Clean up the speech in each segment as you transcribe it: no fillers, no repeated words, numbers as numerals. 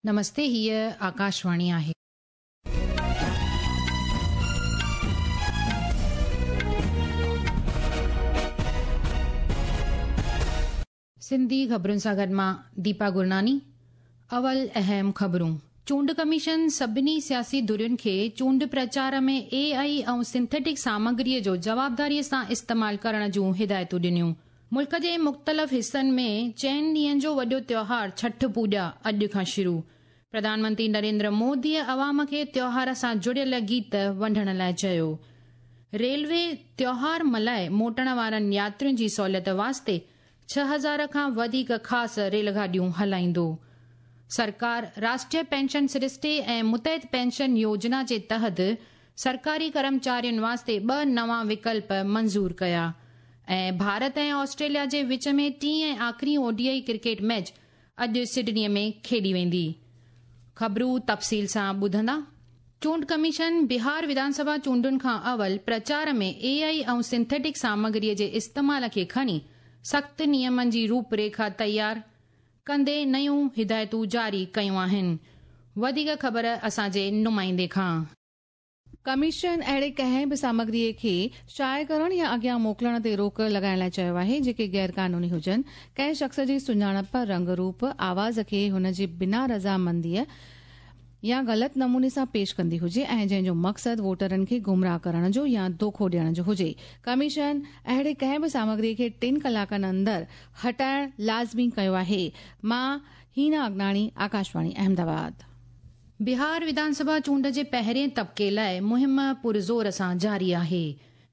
نمستي هيء آڪاشواڻي آهي. سنڌي خبرن سان گڏ مان ديپا گرناني اول اهم خبرون چونڊ ڪميشن سڀني سياسي ڌرين کي چونڊ پرچار ۾ اي آء ۽ سنٿيٽڪ سامگري جو جوابداري سان استعمال ڪرڻ جون هدايتون ڏنيون ملڪ جي مختلف حصن ۾ چئن ڏينهن جو وڏو تيوهار ڇٺ پوڄا اڄ کان شروع. پرڌان منتري نريندر موديء عوام کي تيوهار سان جڙيل گيت ونڊڻ لاء چيو. ريلوي تيوهار ملهائي موٽڻ وارن ياترين جي سهولت واسطي 6000 کان وڌيڪ خاص ريل گاڏيون هلائيندو. سرڪار راشٽريه پينشن سرشتي ۽ متحد پينشن يوجنا جي تحت سرڪاري ڪرمچارين واسطي ٻه نوان وڪلپ منظور ڪيا ۽ ڀارت ۽ آسٽريليا جي وچ ۾ ٽين ۽ آخري O D I cricket match اڄ سڊني ۾ کيڏي ويندي. خبرون تفصيل سان ٻڌندا. چونڊ ڪميشن بهار وڌان سڀا چونڊن کان اول پرچار ۾ اي آء ۽ سنٿيٽڪ سامگري جي استعمال کي کڻي سخت نيمن جي روپ ريکا تيار ڪندي نيون هدايتون جاري ڪيون آهن. وڌيڪ خبر اسان جي نمائندي کان. ڪميشن اهڙي ڪنهن به سامگري کي شايع ڪرڻ يا اڳيان موڪلڻ تي روڪ لڳائڻ لاء چيو آهي، جيڪي غير قانوني هجن، ڪنهن شخص جي سڃاڻپ، رنگ روپ، آواز کي هن جي بنا رضامنديء يا غلط نموني سان پيش ڪندي هجي ۽ جنهن جو مقصد ووٽرن کي گمراهه ڪرڻ جو يا دوکو ڏيڻ جو هجي. ڪميشن اهڙي ڪنهن به سامگري کي ٽن ڪلاڪن اندر هٽائڻ لازمي ڪيو آهي. مان هينا اگناڻي، آڪاشواڻي احمدآباد. بهار وڌان سڀا چونڊ جي پهرين طبقي لاء مهم پرزور سان جاري آهي.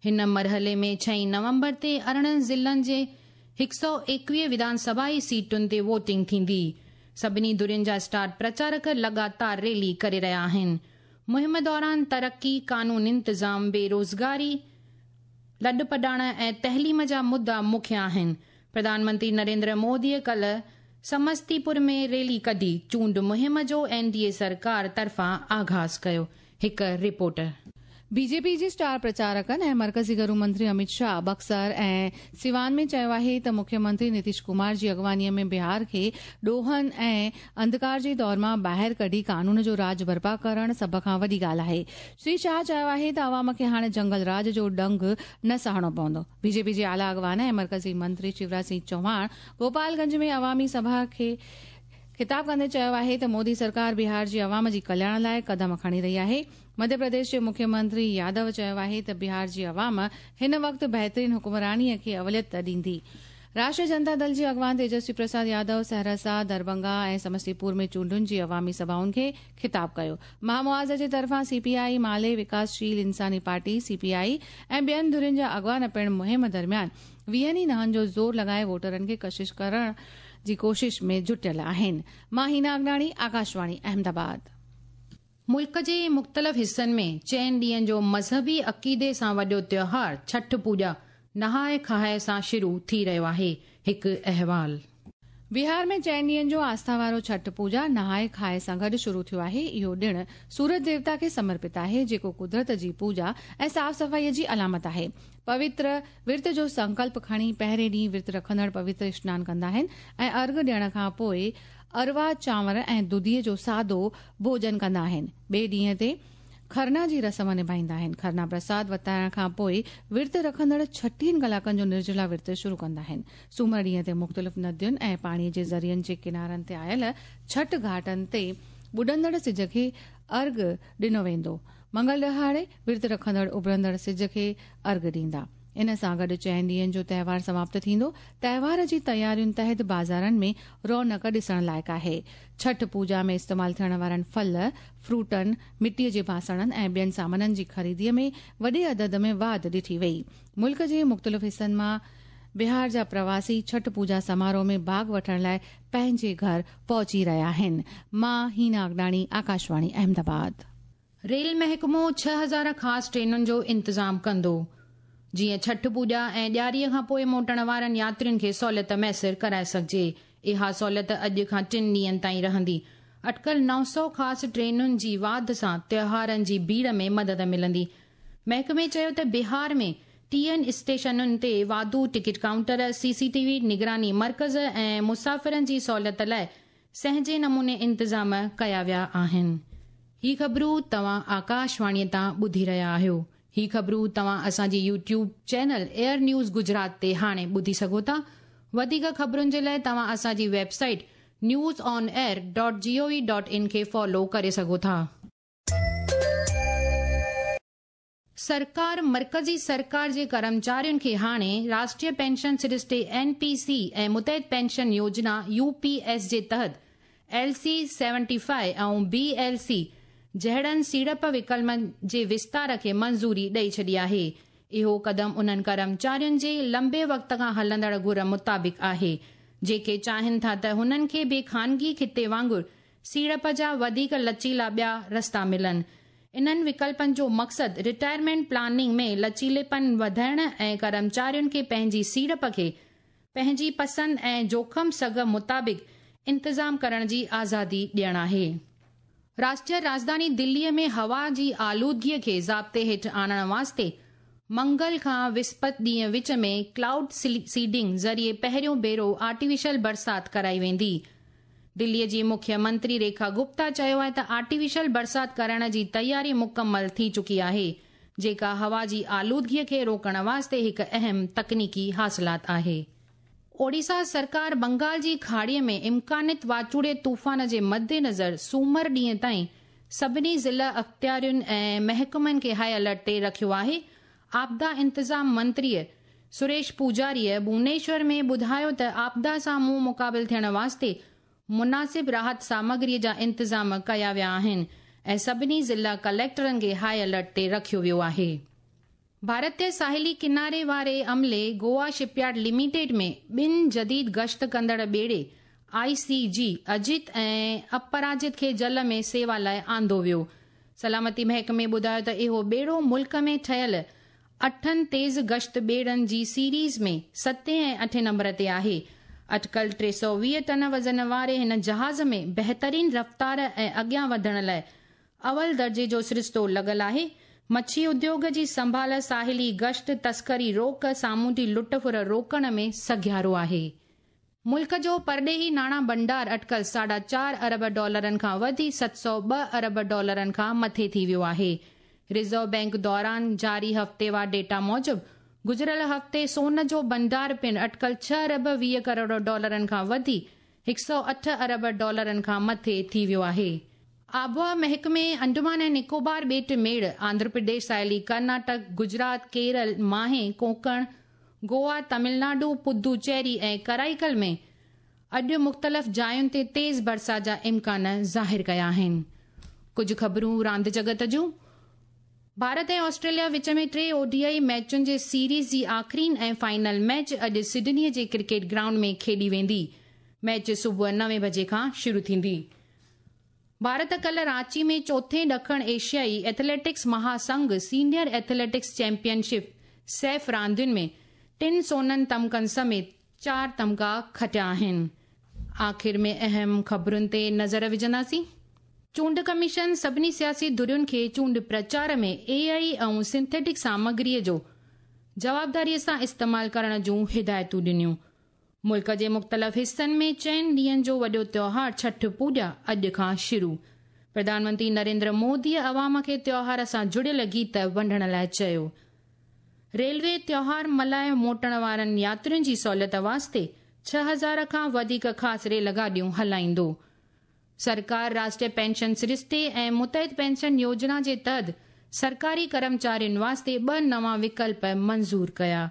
هن مرحلي ۾ ڇهين نومبر تي 18 ضلعن جي 121 وڌان سڀائي سيٽن تي ووٽنگ ٿيندي. سڀني ڌرين جا اسٽار پرچارڪ لڳاتار ريلي ڪري رهيا آهن. مهم دوران ترقي، قانون انتظام، بيروزگاري، لڏپلاڻ ۽ تعليم جا مدعا مکيه آهن. پرڌان منتري نريندر موديء ڪلهه سمستي پور ۾ ريلي ڪڍي چونڊ مهم جو اين ڊي اي سرڪار طرفان آغاز ڪيو. هڪ رپورٽ. بي جي پي جي اسٽار پرچارڪن ۽ مرڪزي گهرو منتري اميت شاهه بڪسر ۽ سيوان ۾ چيو آهي ته مکيه منتري نتيش ڪمار جي اڳواڻي ۾ بهار کي ڏوهن ۽ انڌڪار جي دور مان ٻاهر ڪڍي قانون جو راڄ برپا ڪرڻ سڀ کان وڏي ڳالهه آهي. شري شاهه چيو آهي ته عوام کي هاڻي جنگل راڄ جو ڏنگ نه سهڻو پوندو. بي جي پي جي اعليٰ اڳواڻ ۽ مرڪزي منتري شيوراج سنگهه چوهاڻ گوپال گنج ۾ عوامي سڀا کي خطاب ڪندي چيو آهي ته مودي سرڪار بهار جي عوام جي ڪلياڻ لاء قدم کڻي رهي آهي. مڌيه پرديش جي مکيه منتري يادو چيو آهي ته بهار جي عوام هن وقت بهترين حڪمراني کي اوليت ڏيندي. راشٽريه جنتا دل جي اڳواڻ تيجسوي پرساد يادو سهرسا، دربنگا ۽ سمستي پور ۾ چونڊن جي عوامي سڀائن کي خطاب ڪيو. مهامعاذ جي طرفان سي پي آء، مالي، وڪاسشيل انساني پارٽي، سي پي آء، ۽ ٻين ڌرين جا اڳواڻ پڻ مهم درميان ويهن ئي نهن جو زور لڳائي ووٽرن کي ڪشش ڪرڻ جي ڪوشش ۾ جٽيل آهن. مان هينا اگناڻي، آڪاشواڻي، احمدآباد. ملڪ جي مختلف حصن ۾ چئن ڏينهن جو مذهبي عقيدي سان وڏو تيوهار ڇٺ پوڄا نهائي کائي سان شروع ٿي رهيو آهي، هڪ احوال. بهار ۾ چئن ڏينهن جو آسٿا وارو ڇٺ پوڄا نهائي کائي سان گڏ شروع ٿيو آهي. اهو ڏڻ سورج ديوتا کي سمرپت آهي، جيڪو قدرت جي پوڄا ۽ صاف صفائي جي علامت آهي. پوتر ورت جو سنڪلپ کڻي پهرين ڏينهن ورت رکندڙ پوتر اشنان ڪندا آهن ۽ ارگهه ڏيڻ کان پوء اروا چانور ۽ دڌيء جو سادو ڀوڄن ڪندا آهن. ٻئي ڏينهن تي کرنا جي رسم نڀائيندا آهن. کرنا پرساد ورتائڻ کان پوء ورت رکندڙ ڇٽيهن ڪلاڪن جو نرجلا ورت شروع ڪندا آهن. سومر ڏينهن تي مختلف ندين ۽ پاڻي جي ذريعن جي ڪنارن تي آيل ڇٺ گهاٽن تي ٻڏندڙ سج کي ارگهه ڏنو ويندو. منگل ڏهاڙي ورت رکندڙ اڀرندڙ سج کي ارگهه ڏيندا. ان سان گڏ چئن ڏينهن جو تهوار سماپت ٿيندو. تهوار جي تيارين تحت بازارن ۾ رونق ڏسڻ لائق آهي. ڇٺ پوڄا ۾ استعمال ٿيڻ وارن ڦل، فروٽن، مٽيء جي باسڻن ۽ ٻين سامانن جي خريديء ۾ وڏي عدد ۾ واڌ ڏٺي وئي. ملڪ جي مختلف حصن مان بهار جا پرواسي ڇٺ پوڄا سماروهه ۾ ڀاڳ وٺڻ لاء پنهنجي گهر پهچي رهيا آهن. مان هينا اگناڻي، آڪاشواڻي احمدآباد. ريل محڪمو 6000 خاص ٽرينن جو انتظام ڪندو، جيئن ڇٺ پوڄا ۽ ڏياريء کان پوء موٽڻ وارن ياترين کي سهولت ميسر ڪرائي سگهجي. اها سهولت اڄ کان ٽن ڏينهن تائين رهندي. اٽڪل 900 خاص ٽرينن جي واڌ سان تهوارن جي ڀيڙ ۾ مدد ملندي. محڪمي چيو ته بهار ۾ 30 اسٽيشنن تي واڌو ticket counter, C C T V نگراني مرڪز ۽ مسافرن جي سهولت لاء سهنجي نموني انتظام ڪيا ويا آهن. هي خبرون توهان آڪاشواڻي تان ٻڌي رهيا آهيو. هي خبرون توهان اسان جي YouTube channel AIR news Gujarat تي هاڻي ٻڌي سگهو ٿا. وڌيڪ خبرن جي لاء توهان اسان جي website news on air dot G O V dot in کي فالو ڪري سگهو ٿا. سرڪار مرڪزي سرڪار جي ڪرمچارين کي هاڻي راشٽريه پينشن سرشتي، اين پي سي، ۽ متحد پينشن يوجنا، يو پي ايس، جي تحت L C seventy five ۽ B L C جهڙن سيڙپ وڪلپن جي وستار کي منظوري ڏئي ڇڏي آهي. اهو قدم انهن ڪرمچارين جي لنبي وقت کان هلندڙ گهر مطابق آهي، جيڪي چاهين ٿا ته هنن کي به خانگي خطي وانگر سيڙپ جا وڌيڪ لچيلا ٻيا رستا ملن. انهن وڪلپن جو مقصد رٽائرمينٽ پلاننگ ۾ لچيليپن وڌائڻ ۽ ڪرمچارين کي پنهنجي سيڙپ کي پنهنجي پسند ۽ جوکم سگهه مطابق انتظام ڪرڻ جي آزادي ڏيڻ آهي. راشٽريه راڄڌاني دليء ۾ هوا جي آلودگيء کي ضابطي هيٺ آڻڻ واسطي منگل کان وسپت ڏينهن وچ ۾ ڪلائوڊ سيڊنگ ذريعي پهريون ڀيرو آرٽيفيشل برسات ڪرائي ويندي. دليء جي مکيه منتري ريکا گپتا چيو آهي ته آرٽيفيشل برسات ڪرائڻ جي تياري مڪمل ٿي چڪي آهي، جيڪا هوا جي آلودگيء کي روڪڻ واسطي هڪ اهم تڪنيڪي حاصلات آهي. اوڙيسا سرڪار بنگال جي کاڙيء ۾ امڪانت واچوڙي طوفان جي مدنظر سومر ڏينهن تائين سڀني ضلع اختيارين ۽ محڪمن کي هاء الرٽ تي رکيو آهي. آپدا انتظام منتريء سريش پوجاريء ڀونيشور ۾ ٻڌايو ته آپدا سان منهن مقابل ٿيڻ واسطي مناسب راحت سامگريء جا انتظام ڪيا ويا آهن ۽ سڀني ضلع ڪليڪٽرن کي هاء الرٽ تي رکيو ويو آهي. ڀارتي ساحلي ڪناري واري عملي گوا شپ يارڊ لميٽيڊ ۾ ٻن جديد گشت ڪندڙ ٻيڙي آء سي جي اجيت ۽ اپراجت کي جل ۾ سيوا لاء آندو ويو. سلامتي محڪمي ٻڌايو ته اهو ٻيڙو ملڪ ۾ ٺهيل اٺن تيز گشت ٻيڙن جي سيريز ۾ ستين ۽ اٺين نمبر تي آهي. اٽڪل 320 ٽن وزن واري هن جهاز ۾ بهترين رفتار ۽ اڳيان وڌڻ لاء اول درجي جو سرشتو لڳل آهي. مڇي اديوگ جي سنڀال، ساحلي گشت، تسڪري روڪ، سامونڊي لٽ ڦر روڪڻ ۾ سگهيارو آهي. ملڪ جو پرڏيهي ناڻا ڀنڊار اٽڪل ساڍا چار ارب ڊالرن کان وڌي 702 ارب ڊالرن کان مٿي ٿي ويو آهي. ريزرو بئنڪ دوران جاري هفتيوار ڊيٽا موجب گذريل هفتي سون جو ڀنڊار پڻ اٽڪل 6 ارب 20 ڪروڙ ڊالرن کان وڌي 108 ارب ڊالرن کان مٿي ٿي ويو آهي. آبهوا محڪمي انڊمان ۽ نڪوبار ٻيٽ ميڙ، آنڌرا پرديش، ساحلي ڪرناٽڪ، گجرات، ڪيرل، ماهي، ڪونڪڻ، گوا، تامل ناڊو، پدوچيري ۽ ڪرائيڪل ۾ اڄ مختلف جاين تي تيز برسات جا امڪان ظاهر ڪيا آهن. ڪجهه خبرون راند جڳت جون. Bharat ۽ Australia which ۾ T O D I ميچن جي سيريز جي آخرين ۽ فائنل ميچ اڄ سڊني جي ڪرڪيٽ گرائونڊ ۾ کيڏي ويندي. ميچ صبح نوين بجي کان شروع ٿيندي. ڀارت ڪلهه رانچي ۾ چوٿين ڏکڻ ايشيائي ايٿليٽڪس مهاسنگهه senior athletics championship SAF راندين ۾ ٽن سونن تمغن سميت چار تمغا کٽيا آهن. آخر ۾ اهم خبرن تي نظر وجهنداسين. چونڊ ڪميشن سڀني سياسي ڌرين کي چونڊ پرچار ۾ اي آء ۽ سنٿيٽڪ سامگري جو جوابداري سان استعمال ڪرڻ جون هدايتون ڏنيون. ملڪ جي مختلف حصن ۾ چئن ڏينهن جو وڏو تيوهار ڇٺ پوڄا اڄ کان شروع. پرڌان منتري نريندر موديء عوام کي تيوهار سان جڙيل گيت ونڊڻ لاء چيو. ريلوي تيوهار ملهائي موٽڻ وارن ياترين جي سهولت واسطي 6000 کان وڌيڪ خاص ريل گاڏيون هلائيندو. سرڪار راشٽريه پينشن سرشتي ۽ متحد پينشن يوجنا جي تحت سرڪاري ڪرمچارين واسطي ٻه نوان وڪلپ منظور ڪيا.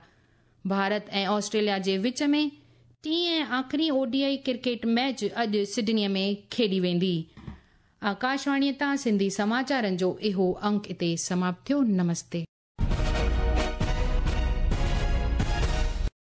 ڀارت ۽ آسٽريليا جي وچ ۾ ٽين ۽ آخري O D I cricket match اڄ سڊني ۾ کيڏي ويندي. آڪاشواڻي تان سنڌي سماچارن جو اهو انڪ اتي سماپت ٿيو. نمستي.